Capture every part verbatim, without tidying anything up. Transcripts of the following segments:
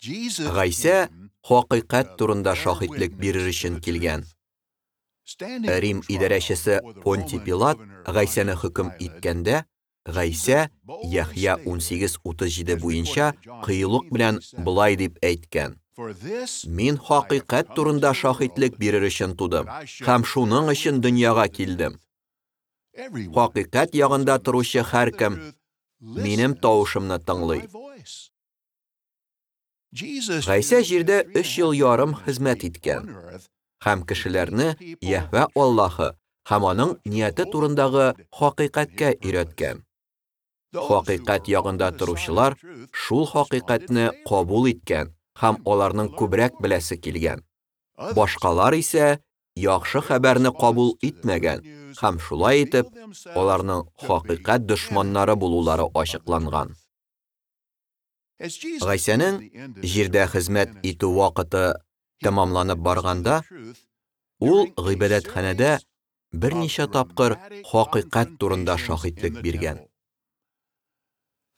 Гайсә хакыйкать турында шаһитлек бирер өчен килгән. Рим идарәчесе Понтий Пилат Гайсәне хөкем иткәндә, Гайсә Яхъя ун сигез утыз җиде буенча кыюлык белән болай дип әйткән: Мин хакыйкать турында шаһитлек бирер өчен тудым һәм шуның өчен дөньяга килдем. Хакыйкать ягында торучы һәркем минем тавышымны тыңлый. Гайсә җирдә өч ел ярым хезмәт иткән һәм кешеләрне Йәһвә Аллаһы һәм аның нияте турындагы хакыйкатькә өйрәткән. Хакыйкать ягында торучылар шул хакыйкатьне кабул иткән һәм аларның күбрәк беләсе килгән. Башкалар исә яхшы хәбәрне кабул итмәгән һәм шулай итеп аларның хакыйкать дошманнары булулары ачыкланган. Гайсәнең җирдә хезмәт итү вакыты тәмамланып барганда, ул гыйбадәтханәдә берничә тапкыр хакыйкать турында шаһитлек биргән.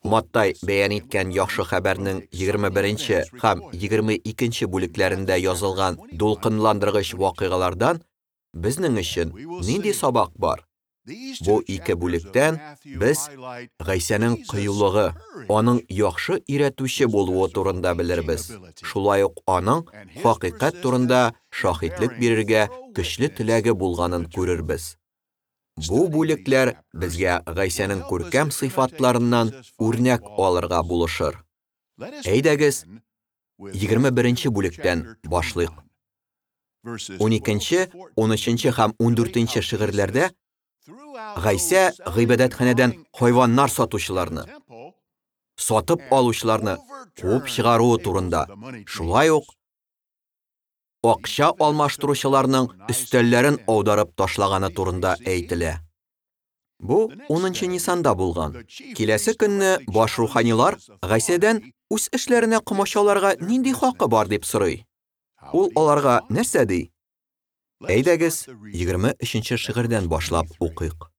Маттай бәян иткән яхшы хәбәрнең егерме беренче һәм егерме икенче бүлекләрендә язылган дулкынландыргыч вакыйгалардан безнең өчен нинди сабак бар? Бу ике бүлектән без Гайсәнең кыюлыгы, аның яхшы өйрәтүче булуы турында белербез. Шулай ук аның хакыйкать турында шаһитлек бирергә көчле теләге булганын күрербез. Бу бүлекләр безгә Гайсәнең күркәм сыйфатларыннан үрнәк алырга булышыр. Әйдәгез, егерме беренче бүлектән башлыйк. Уникенче, унөченче һәм ундүртенче шигырьләрдә Гайсә гыйбадәтханәдән хайваннар сатучыларны, сатып алучыларны куып чыгаруы турында, шулай ук акча алмаштыручыларның өстәлләрен аударып ташлаганы турында әйтелә. Бу унынчы нисанда булган. Киләсе көнне баш руханилар Гайсәдән үз эшләренә комачауларга нинди хакы бар дип сорый. Ул аларга нәрсә ди? Әйдәгез, егерме өченче шигырьдән башлап укыйк.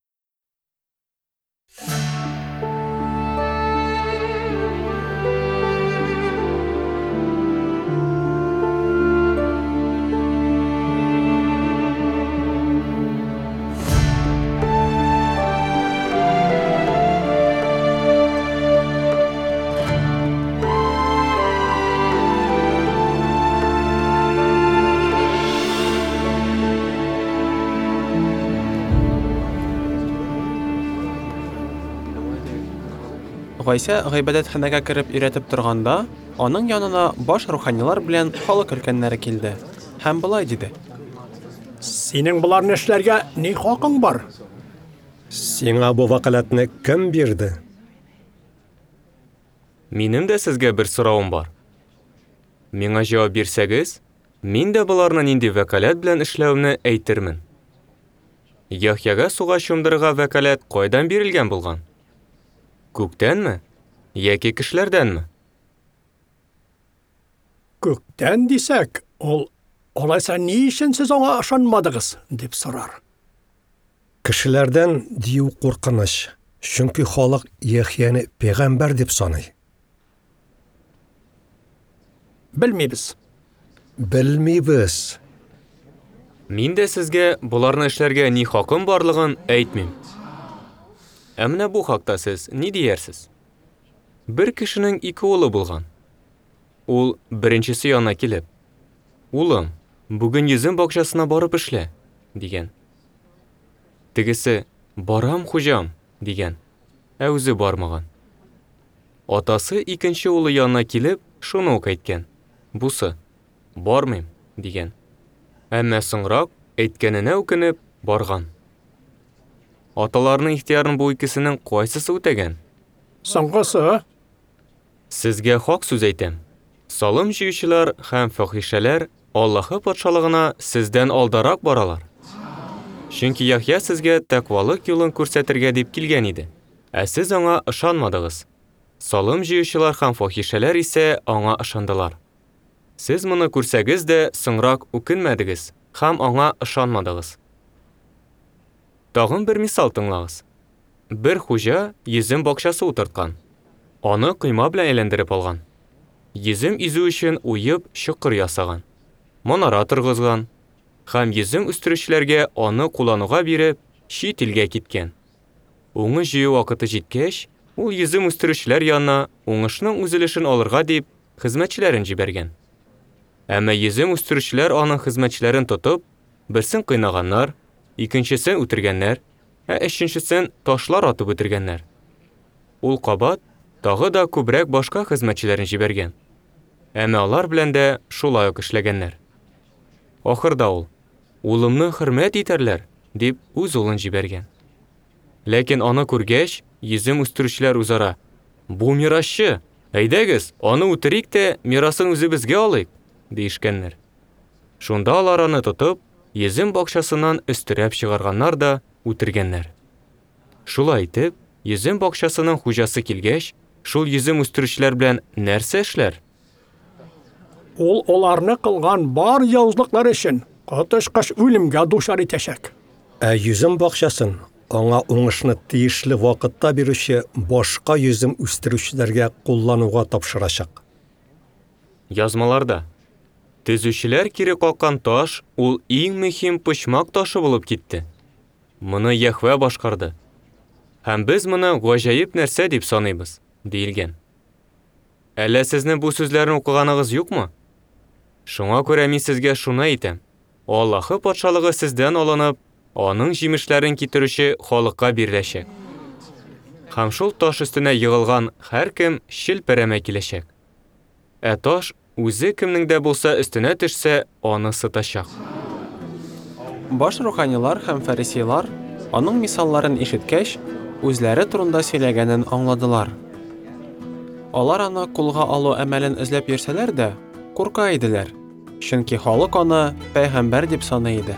Гайсә гыйбадәтханәгә кереп өйрәтеп торганда, аның янына баш руханилар белән халык өлкәннәре килде һәм болай диде: Синең боларны эшләргә ни хакың бар? Сиңа бу вәкаләтне кем бирде? Минем дә сезгә бер соравым бар. Миңа җавап бирсәгез, мин дә боларны нинди вәкаләт белән эшләвемне әйтермен. Яхъяга суга чумдырырга вәкаләт кайдан бирелгән булган? Күктәнме? Яки кешеләрдәнме? Күктән дисәк, ул алайса ни өчен сез аңа ышанмадыгыз, дип сорар. Кешеләрдән дию куркыныч, чөнки халык Яхъяны пәйгамбәр дип саный. Белмибез. Белмибез. Мин дә сезгә боларны эшләргә ни хакым барлыгын әйтмим. Ә менә бу хакта сез ни диярсез? Бер кешенең ике улы булган. Ул беренчесе янына килеп: "Улым, бүген йөзем бакчасына барып эшлә", дигән. Тегесе: "Барам, хуҗам", дигән, ә үзе бармаган. Атасы икенче улы янына килеп, шуны ук әйткән. Бусы: "Бармыйм", дигән. Әмма соңрак әйткәненә үкенеп барган. Аталарының ихтыярын бу икесенең кайсысы үтәгән? Соңгысы. Сезгә хак сүз әйтәм. Салым җыючылар һәм фахишәләр Аллаһы патшалыгына сездән алдарак баралар. Чөнки Яхъя сезгә тәкъвалык юлын күрсәтергә дип килгән иде, ә сез аңа ышанмадыгыз. Салым җыючылар һәм фахишәләр исә аңа ышандылар. Сез моны күрсәгез дә соңрак үкенмәдегез һәм аңа ышанмадыгыз. Тагын бер мисал тыңлагыз. Бер хуҗа йөзем бакчасы утырткан. Аны койма белән әйләндереп алган. йөзем изү өчен уеп чокыр ясаган, манара торгызган һәм йөзем үстерүчеләргә аны куллануга биреп, чит илгә киткән. Уңыш җыю вакыты җиткәч, ул йөзем үстерүчеләр янына уңышның үз өлешен алырга дип хезмәтчеләрен җибәргән. Әмма йөзем үстерүчеләр аның хезмәтчеләрен тотып, берсен кыйнаганнар, икенчесен үтергәннәр, ә өченчесен ташлар атып үтергәннәр. Ул кабат тагы да күбрәк башка хезмәтчеләрен җибәргән. Әмма алар белән дә шулай ук эшләгәннәр. Ахырда ул: "Улымны хөрмәт итәрләр", дип үз улын җибәргән. Ләкин аны күргәч, йөзем үстерүчеләр үзара: "Бу мирасчы, әйдәгез, аны үтерик тә мирасын үзебезгә алыйк", диешкәннәр. Шунда алар аны тотып, йөзем бакчасыннан өстерәп чыгарганнар да үтергәннәр. Шулай итеп, йөзем бакчасының хуҗасы килгәч, шул йөзем үстерүчеләр белән нәрсә эшләр? Ул аларны кылган бар явызлыклар өчен коточкыч үлемгә дучар итәчәк. Ә йөзем бакчасын аңа уңышны тиешле вакытта бирүче башка йөзем үстерүчеләргә куллануга тапшырачак. Язмаларда төзүчеләр кире каккан таш ул иң мөһим почмак ташы булып китте. Моны Йәһвә башкарды. Һәм без моны гаҗәеп нәрсә дип саныйбыз, диелгән. Әллә сезнең бу сүзләрне укыганыгыз юкмы? Шуңа күрә мин сезгә шуны әйтәм: Аллаһы патшалыгы сездән алынып, аның җимешләрен китерүче халыкка биреләчәк. Һәм шул таш өстенә егылган һәркем челпәрәмә киләчәк. Ә таш үзе кемнең дә булса өстенә төшсә, аны сытачак. Баш руханилар һәм фарисейлар аның мисалларын ишеткәч, үзләре турында сөйләгәнен аңладылар. Алар аны кулга алу әмәлен эзләп йөрсәләр дә, курка иделәр, чөнки халык аны пәйгамбәр дип саный иде.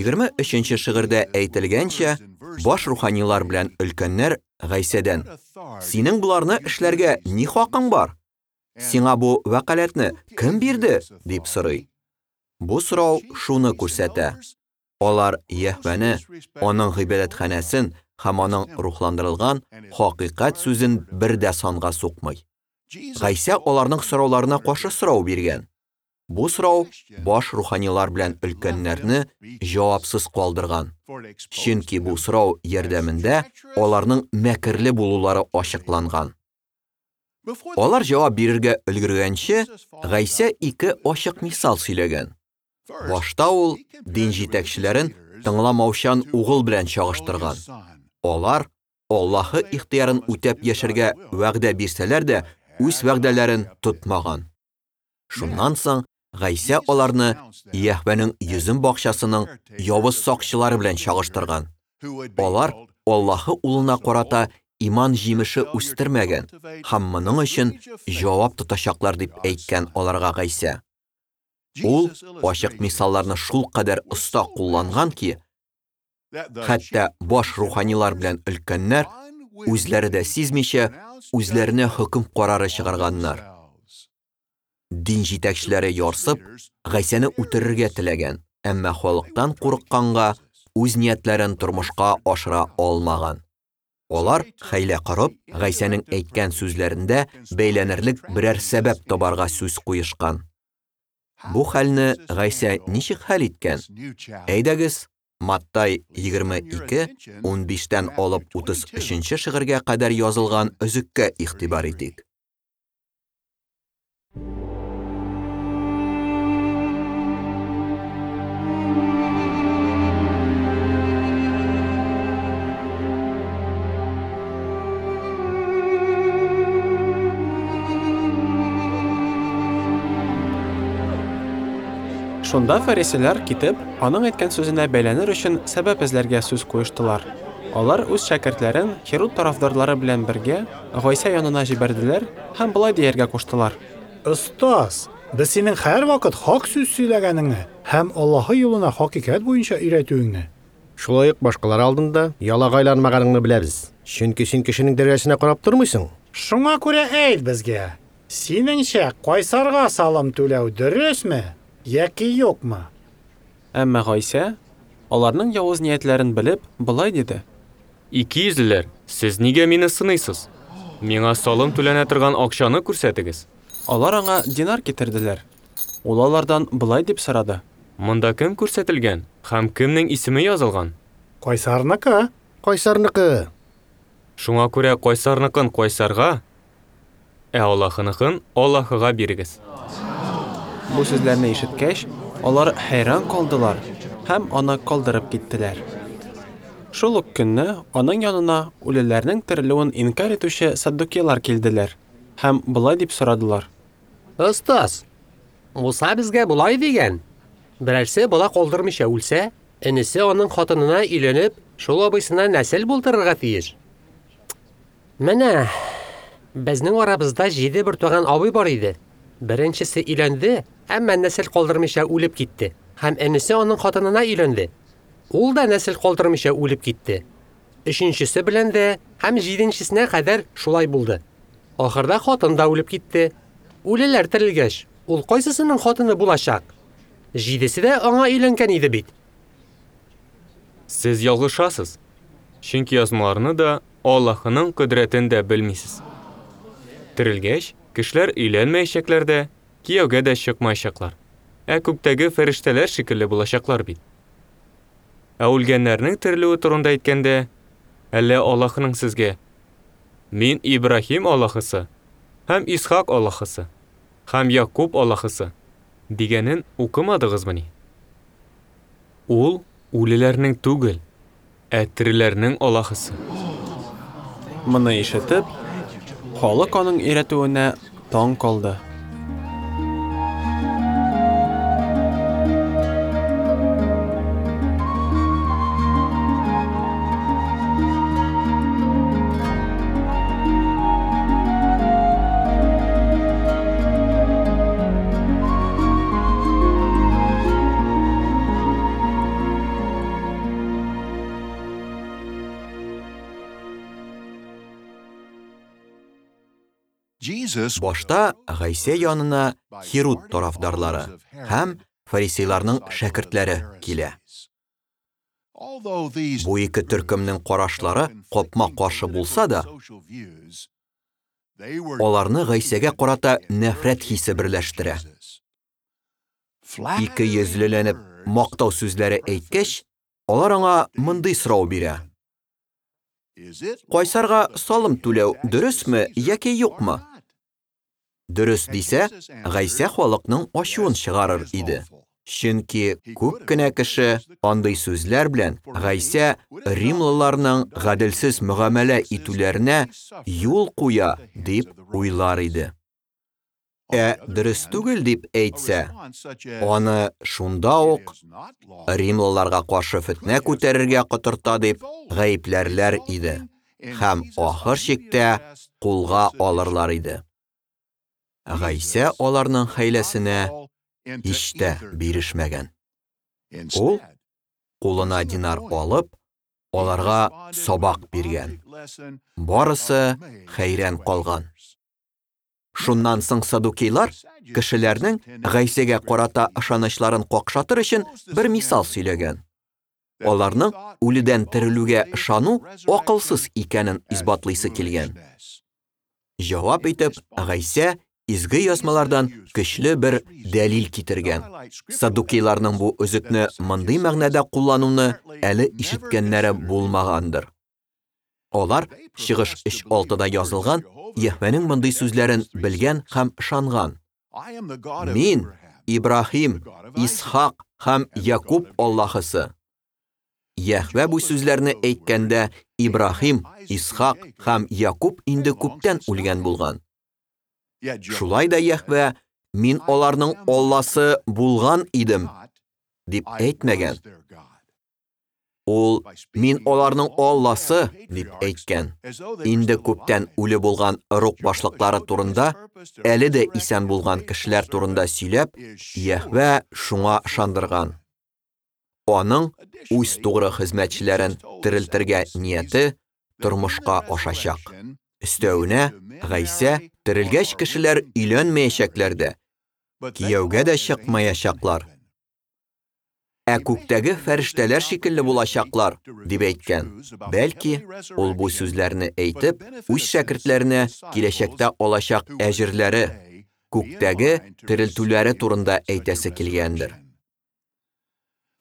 Егерме өченче шигырьдә әйтелгәнчә, баш руханилар белән өлкәннәр Гайсәдән: "Синең боларны эшләргә ни хакың бар? Сиңа бу вәкаләтне кем бирде?" дип сорый. Бу сорау шуны күрсәтә: алар Йәһвәне, аның гыйбадәтханәсен һәм аның рухландырылган хакыйкать сүзен бер дә санга сукмый. Гайсә аларның сорауларына каршы сорау биргән. Бу сорау баш руханилар белән өлкәннәрне җавапсыз калдырган. Чөнки бу сорау ярдәмендә аларның мәкерле булулары ачыкланган. Алар җавап бирергә өлгергәнче, Гайсә ике ачык мисал сөйләгән. Башта ул дин җитәкчеләрен тыңламаучан угыл белән чагыштырган. Алар Аллаһы ихтыярын үтәп яшәргә вәгъдә бирсәләр дә, үз вәгъдәләрен тотмаган. Шуннан соң Гайсә аларны Йәһвәнең йөзем бакчасының явыз сакчылары белән чагыштырган. Алар Аллаһы улына карата иман җимеше үстермәгән һәм моның өчен җавап тотачаклар дип әйткән аларга Гайсә. Ул ачык мисалларны шулкадәр оста кулланган ки, хәтта баш руханилар белән өлкәннәр үзләре дә сизмичә үзләренә хөкем карары чыгарганнар. Дин җитәкчеләре ярсып, Гайсәне үтерергә теләгән, әмма халыктан курыкканга үз ниятләрен тормышка ашыра алмаган. Алар хәйлә корып, Гайсәнең әйткән сүзләрендә бәйләнерлек берәр сәбәп табарга сүз куешкан. Бу хәлне Гайсә ничек хәл иткән? Әйдәгез, Маттай егерме ике, унбиштән алып утыз өченче шигырьгә кадәр язылган өзеккә игътибар итик. Шунда фарисейлар китеп, аның әйткән сүзенә бәйләнер өчен сәбәп эзләргә сүз куештылар. Алар үз шәкертләрен Херод тарафдарлары белән бергә Гайсә янына җибәрделәр һәм болай дияргә куштылар: "Остаз, Без синең һәрвакыт хак сүз сөйләгәнеңне һәм Аллаһы юлына хакыйкать буенча өйрәтүеңне. Шулай ук башкалар алдында ялагайланмаганыңны беләбез. Чөнки син кешенең дәрәҗәсенә карап тормыйсың. Шуңа күрә әйт безгә, синеңчә кайсарга салым түләү дөресме яки юкмы? Әмма Гайсә, аларның явыз ниятләрен белеп, болай диде: Икейөзлеләр, сез нигә мине сыныйсыз? Миңа салым түләнә торган акчаны күрсәтегез. Алар аңа динар китерделәр. Ул алардан болай дип сорады: Монда кем күрсәтелгән һәм кемнең исеме язылган? Кайсарныкы. Кайсарныкы. Шуңа күрә кайсарныкын кайсарга, ә Аллаһыныкын Аллаһыга бирегез. Бу сүзләрне ишеткәч, алар хәйран калдылар һәм аны калдырып киттеләр. Шул ук көнне аның янына үлеләрнең терелүен инкар итүче саддукейлар килделәр һәм болай дип сорадылар: Остаз, Муса безгә болай дигән: берәрсе бала калдырмыйча үлсә, энесе аның хатынына өйләнеп, шул абыйсына нәсел булдырырга тиеш. Менә безнең арабызда җиде бертуган абый бар иде. Беренчесе өйләнде, әмма нәсел калдырмыйча үлеп китте, һәм энесе аның хатынына өйләнде. Ул да нәсел калдырмыйча үлеп китте. Өченчесе белән дә һәм җиденчесенә кадәр шулай булды. Ахырда хатын да үлеп китте. Үлеләр терелгәч, ул кайсысының хатыны булачак? Җидесе дә аңа өйләнгән иде бит. Сез ялгышасыз. Чөнки язмаларны да, Аллаһының кодрәтен дә белмисез. Терелгәч, кешеләр өйләнмәячәкләр дә, кияүгә дә чыкмаячаклар. Ә күктәге фәрештәләр шикелле булачаклар бит. Ә үлгәннәрнең терелүе турында әйткәндә, әллә Аллаһының сезгә: Мин Ибраһим Аллаһысы һәм Исхак Аллаһысы һәм Якуб Аллаһысы дигәнен укымадыгызмыни? Ул үлеләрнең түгел, ә тереләрнең Аллаһысы. Моны ишетеп, халык аның өйрәтүенә таң калды. Башта Гайсә янына Хируд тарафдарлары һәм фарисейларның шәкертләре килә. Бу ике төркемнең карашлары капма-каршы булса да, аларны Гайсәгә карата нәфрәт хисе берләштерә. Ике йөзлеләнеп мактау сүзләре әйткәч, алар аңа мондый сорау бирә: Кайсарга салым түләү дөресме яки юкмы? Дөрес дисә, Гайсә халыкның ачуын чыгарыр иде. Чөнки күп кенә кеше андый сүзләр белән Гайсә римлыларның гаделсез мөгамәлә итүләренә юл куя дип уйлар иде. Ә дөрес түгел дип әйтсә, аны шунда ук римлыларга каршы фетнә күтәрергә котырта дип гаепләрләр иде һәм ахыр чиктә кулга алырлар иде. Гайсә аларның хәйләсенә һич тә бирешмәгән. Ул кулына динар алып, аларга сабак биргән. Барысы хәйран калган. Шуннан соң саддукейлар кешеләрнең Гайсәгә карата ышанычларын какшатыр өчен бер мисал сөйләгән. Аларның үледән терелүгә ышану акылсыз икәнен исбатлыйсы килгән. Җавап итеп, Гайсә изге язмалардан көчле бер дәлил китергән. Саддукейларның бу өзекне мондый мәгънәдә куллануны әле ишеткәннәре булмагандыр. Алар Чыгыш өч алтыда язылган Йәһвәнең мондый сүзләрен белгән һәм ышанган: Мин Ибраһим, Исхак һәм Якуб Аллаһысы. Йәһвә бу сүзләрне әйткәндә Ибраһим, Исхак һәм Якуб инде күптән үлгән булган. Шулай да Йәһвә: Мин аларның Алласы булган идем, дип әйтмәгән. Ул, «Мин аларның Алласы», дип әйткән. Инде күптән үле булган ыруг башлыклары турында, әле дә исән булган кешеләр турында сөйләп, Йәһвә шуңа ышандырган. Аның үз тугры хезмәтчеләрен терелтергә нияте тормышка ашачак. Өстәвенә, Гайсә терелгәч кешеләр өйләнмәячәкләр дә, кияүгә дә чыкмаячаклар, ә күктәге фәрештәләр шикелле булачаклар, дип әйткән. Бәлки, ул бу сүзләрне әйтеп, үз шәкертләренә киләчәктә алачак әҗерләре, күктәге терелтүләре турында әйтәсе килгәндер.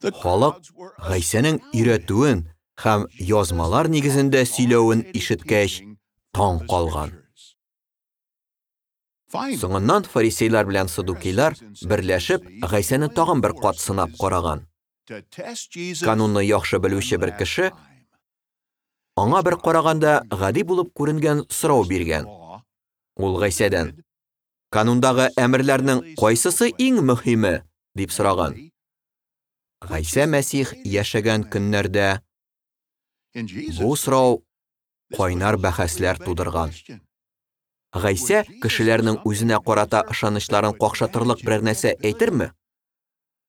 Халык Гайсәнең өйрәтүен һәм язмалар нигезендә сөйләвен ишеткәч, таң калган. Соңыннан фарисейлар белән саддукейлар берләшеп, Гайсәне тагын бер кат сынап караган. Канунны яхшы белүче бер кеше аңа бер караганда гади булып күренгән сорау биргән. Ул Гайсәдән: «Канундагы әмерләрнең кайсысы иң мөһиме?» дип сораган. Гайсә Мәсих яшәгән көннәрдә бу сорау кайнар бәхәсләр тудырган. Гайсә кешеләрнең үзенә карата ышанычларын какшатырлык берәр нәрсә әйтерме?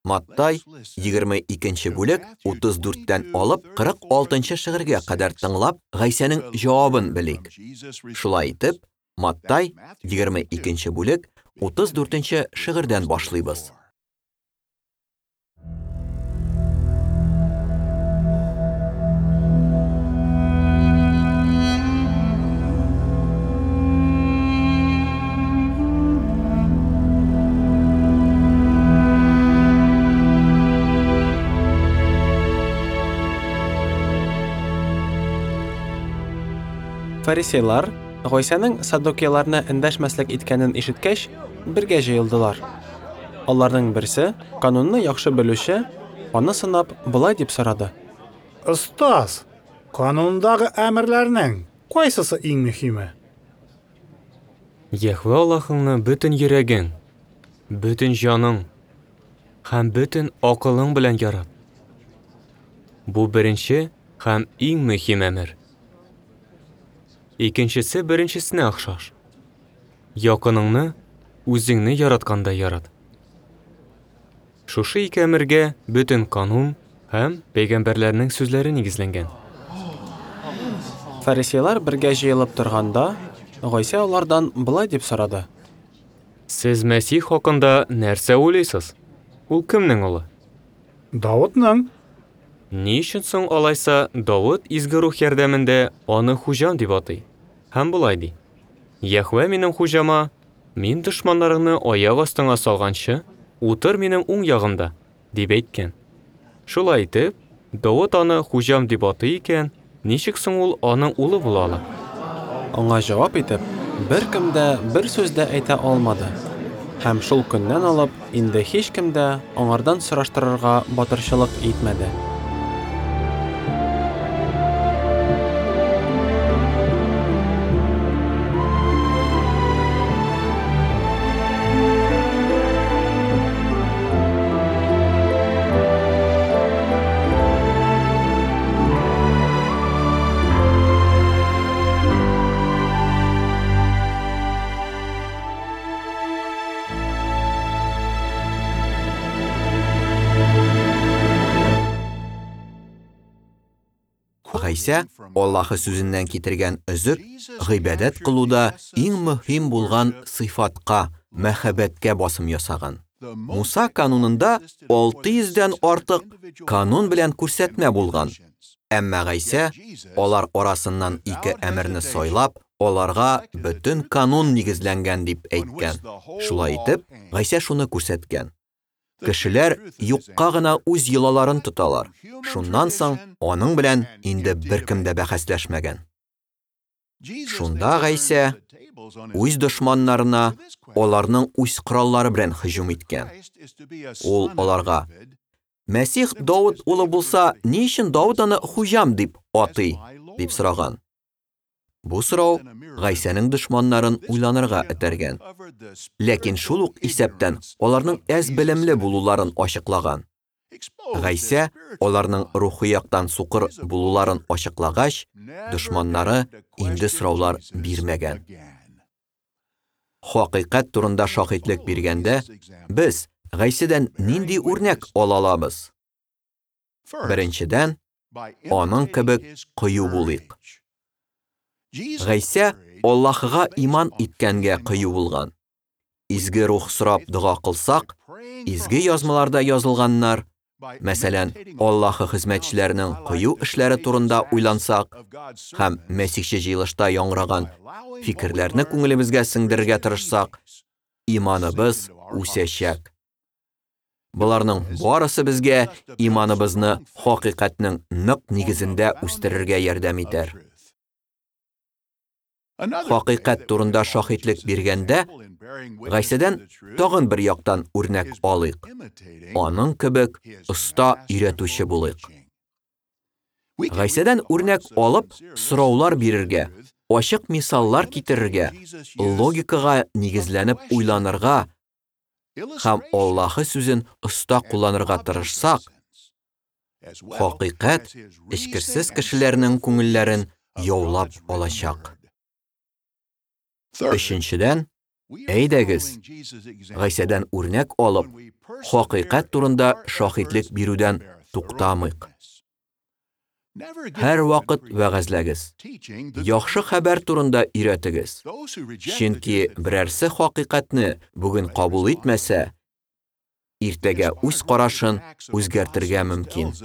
Маттай егерме икенче бүлек утыз дүрттән алып кырык алтынчы шигырьгә кадәр тыңлап, Гайсәнең җавабын белик. Шулай итеп, Маттай егерме икенче бүлек утыз дүртенче шигырьдән башлыйбыз. Фарисейлар Гайсәнең саддукейларны эндәшмәслек иткәнен ишеткәч, бергә җыелдылар. Аларның берсе, канунны яхшы белүче, аны сынап болай дип сорады: «Остаз, канундагы әмерләрнең кайсысы иң мөһиме?» Йәһвә Аллаһыңны бөтен йөрәгең, бөтен җаның һәм бөтен акылың белән ярат. Бу беренче һәм иң мөһим әмер. Икенчесе беренчесенә охшаш. Якыныңны үзеңне яраткандай ярат. Шушы ике әмергә бөтен канун һәм пәйгамбәрләрнең сүзләре нигезләнгән. Фарисейлар бергә җыелып торганда, Гайсә алардан болай дип сорады: «Сез Мәсих хакында нәрсә уйлыйсыз? Ул кемнең улы?» «Давытның». Ни өчен соң алайса Давыт изге рух ярдәмендә аны хуҗам дип атый? Һәм болай ди: «Йәһвә минем хуҗама, мин дошманнарыңны аяк астыңа салганчы, утыр минем уң ягымда», дип әйткән. Шулай итеп, Давыт аны хуҗам дип атый икән, ничек соң ул аның улы була ала? Аңа җавап итеп, беркем дә бер сүз дә әйтә алмады. Һәм шул көннән алып, инде һичкем дә аңардан сораштырырга батырчылык итмәде. Гайсә Аллаһы сүзеннән китергән өзек гыйбадәт кылуда иң мөһим булган сыйфатка, мәхәббәткә басым ясаган. Муса канунында алты йөздән артык канун белән күрсәтмә булган. Әмма Гайсә алар арасыннан ике әмерне сайлап, аларга бөтен канун нигезләнгән дип әйткән. Шулай итеп, Гайсә шуны күрсәткән: кешеләр юкка гына үз йолаларын тоталар. Шуннан соң аның белән инде беркем дә бәхәсләшмәгән. Шунда Гайсә үз дошманнарына аларның үз кораллары белән һөҗүм иткән. Ул аларга: «Мәсих Давыт улы булса, ни өчен Давыт аны хуҗам дип атый?» дип сораган. Бу сорау Гайсәнең дошманнарын уйланырга этәргән. Ләкин шул ук исәптән аларның әз белемле булуларын ачыклаган. Гайсә аларның рухи яктан сукыр булуларын ачыклагач, дошманнары инде сораулар бирмәгән. Хакыйкать турында шаһитлек биргәндә, без Гайсәдән нинди үрнәк ала алабыз? Беренчедән, аның кебек кыю булыйк. Гайсә Аллаһыга иман иткәнгә кыю булган. Изге рух сорап дога кылсак, изге язмаларда язылганнар, мәсәлән, Аллаһы хезмәтчеләренең кыю эшләре турында уйлансак һәм мәсихче җыелышта яңгыраган фикерләрне күңелебезгә сеңдерергә тырышсак, иманыбыз үсәчәк. Боларның барысы безгә иманыбызны хакыйкатьнең нык нигезендә үстерергә ярдәм итәр. Хакыйкать турында шаһитлек биргәндә, Гайсәдән тагын бер яктан үрнәк алыйк. Аның кебек оста өйрәтүче булыйк. Гайсәдән үрнәк алып, сораулар бирергә, ачык мисаллар китерергә, логикага нигезләнеп уйланырга һәм Аллаһы сүзен оста кулланырга тырышсак, хакыйкать эчкерсез кешеләрнең күңелләрен яулап алачак. Өченчедән, әйдәгез, Гайсәдән үрнәк алып, хакыйкать турында шаһитлек бирүдән туктамыйк. Һәр вакыт вәгазьләгез. Яхшы хәбәр турында өйрәтегез. Чөнки берәрсе хакыйкатьне бүген кабул итмәсә, иртәгә үз карашын үзгәртергә мөмкин.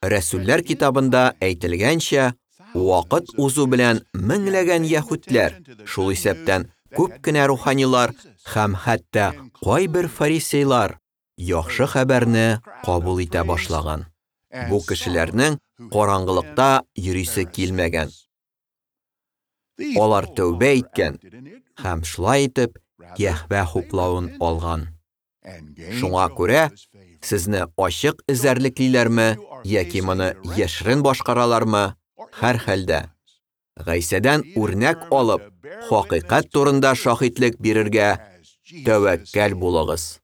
Рәсүлләр китабында әйтелгәнчә, вакыт узу белән меңләгән яһүдләр, шул исәптән күп кенә руханилар һәм хәтта кайбер фарисейлар яхшы хәбәрне кабул итә башлаган. Бу кешеләрнең караңгылыкта йөрисе килмәгән. Алар тәүбә иткән һәм шулай итеп Йәһвә хуплавын алган. Шуңа күрә сезне ачык эзәрлеклиләрме яки моны яшерен башкаралармы, һәр хәлдә Гайсәдән үрнәк алып, хакыйкать турында шаһитлек бирергә тәвәккәл булыгыз.